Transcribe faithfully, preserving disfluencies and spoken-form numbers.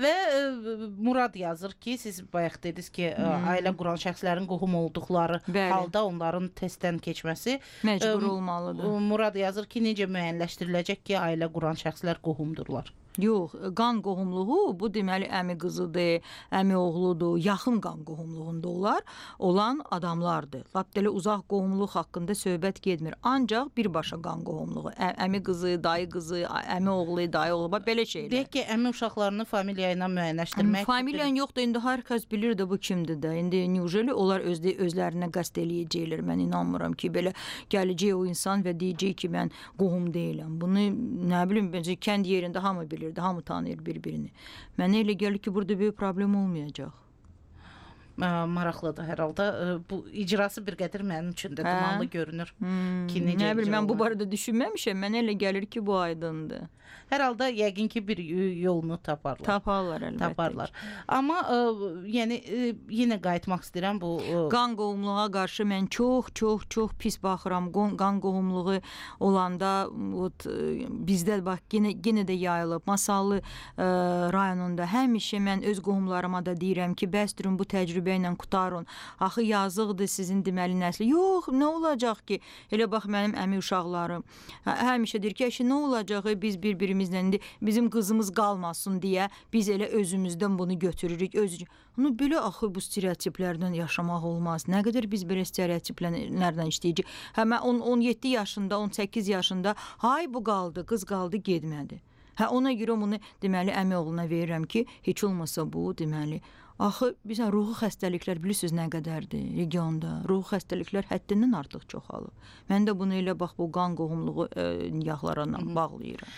Və ə, Murad yazır ki, siz bayaq dediniz ki, ə, Hmm. ailə quran şəxslərin qohum olduqları Bəli. halda onların testdən keçməsi Məcbur ə, olmalıdır. Murad yazır ki, necə müəyyənləşdiriləcək ki, ailə quran şəxslər qohumdurlar? Yox, qan qohumluğu bu deməli əmi qızıdır, əmi oğludur, yaxın qan qohumluğunda olar, olan adamlardır. Lap belə uzaq qohumluq haqqında söhbət getmir. Ancaq birbaşa qan qohumluğu, ə, əmi qızı, dayı qızı, əmi oğlu, dayı oğlu, bax belə şeylər. Deyək ki, əmi uşaqlarını familiya ilə müəyyənləşdirmək. Familiyan yoxdur, indi hər kəs bilir də bu kimdir də. İndi neujeli onlar özdə özlərinə qəsd eləyəcəklər. Mən inanmıram ki, belə gələcək o insan və deyəcək ki, mən qohum deyiləm. Bunu nə bilim, bence kənd yerində hamı bilir. Hamı tanıyır bir-birini. Mənə elə gəlir ki, burada böyük problem olmayacaq. Ə, maraqlıdır hər halda. Ə, bu icrası bir qədər mənim üçün də dumanlı görünür. Hmm, Ki, necə nə bilim, mən bu icra barədə düşünməmişəm. Mənə elə gəlir ki, bu aydındır. Hər halda yəqin ki, bir yolunu taparlar. Taparlar əlbəttə. Taparlar. Amma ə, yəni ə, yenə qayıtmaq istəyirəm bu ə, qan qohumluğa qarşı mən çox, çox, çox pis baxıram. Qon- Qan qohumluğu olanda ot, bizdə bax yenə yenə də yayılıb. Masallı ə, rayonunda həmişə mən öz qohumlarıma da deyirəm ki, bəsdirin bu təcrübə ilə qutarın. Axı yazıqdır sizin deməli nəsli. Yox, nə olacaq ki? Elə bax mənim əmi uşaqlarım hə- həmişə deyir ki, "Əşi, nə olacaq? Biz bir-birimizlə indi bizim qızımız qalmasın deyə biz elə özümüzdən bunu götürürük." Öz Onu belə axı bu stereotiplərdən yaşamaq olmaz. Nə qədər biz belə stereotiplərdən işləyəcəyik. Hə mən on on yeddi yaşında, on səkkiz yaşında, hay bu qaldı, qız qaldı, getmədi. Hə ona görə bunu deməli əmi oğluna verirəm ki, heç olmasa bu deməli axı bizə ruhi xəstəliklər bilirsiniz nə qədərdir regionda. Ruhi xəstəliklər həddindən artıq çoxalıb. Mən də bunu elə bax bu qan qohumluğu e, niyahlarına bağlayıram.